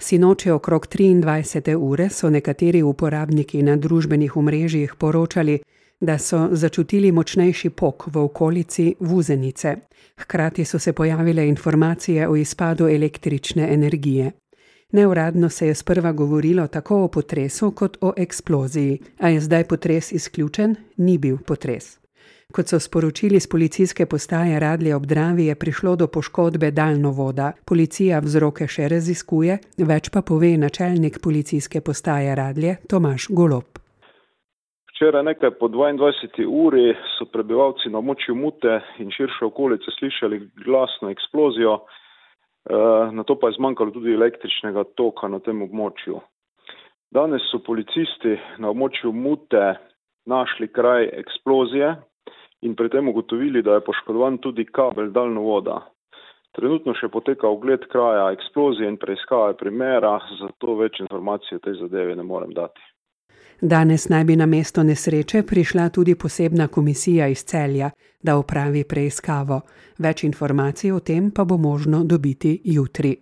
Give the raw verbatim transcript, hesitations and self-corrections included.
Sinoči okrog triindvajsete ure so nekateri uporabniki na družbenih omrežjih poročali, da so začutili močnejši pok v okolici Vuzenice. Hkrati so se pojavile informacije o izpadu električne energije. Neuradno se je sprva govorilo tako o potresu kot o eksploziji. A je zdaj potres izključen? Ni bil potres. Kot so sporočili z policijske postaje Radlje ob Dravi, je prišlo do poškodbe daljnovoda. Policija vzroke še raziskuje, več pa pove načelnik policijske postaje Radlje Tomaž Golob. Včeraj nekaj po dvaindvajseti uri so prebivalci na območju Mute in širše okolice slišali glasno eksplozijo, na to pa je zmanjkalo tudi električnega toka na tem območju. Danes so policisti na območju Mute našli kraj eksplozije in pri tem ugotovili, da je poškodovan tudi kabel daljnovoda. Trenutno še poteka ogled kraja eksplozije in preiskave primera, zato več informacij o tej zadevi ne morem dati. Danes naj bi na mesto nesreče prišla tudi posebna komisija iz Celja, da opravi preiskavo. Več informacij o tem pa bo možno dobiti jutri.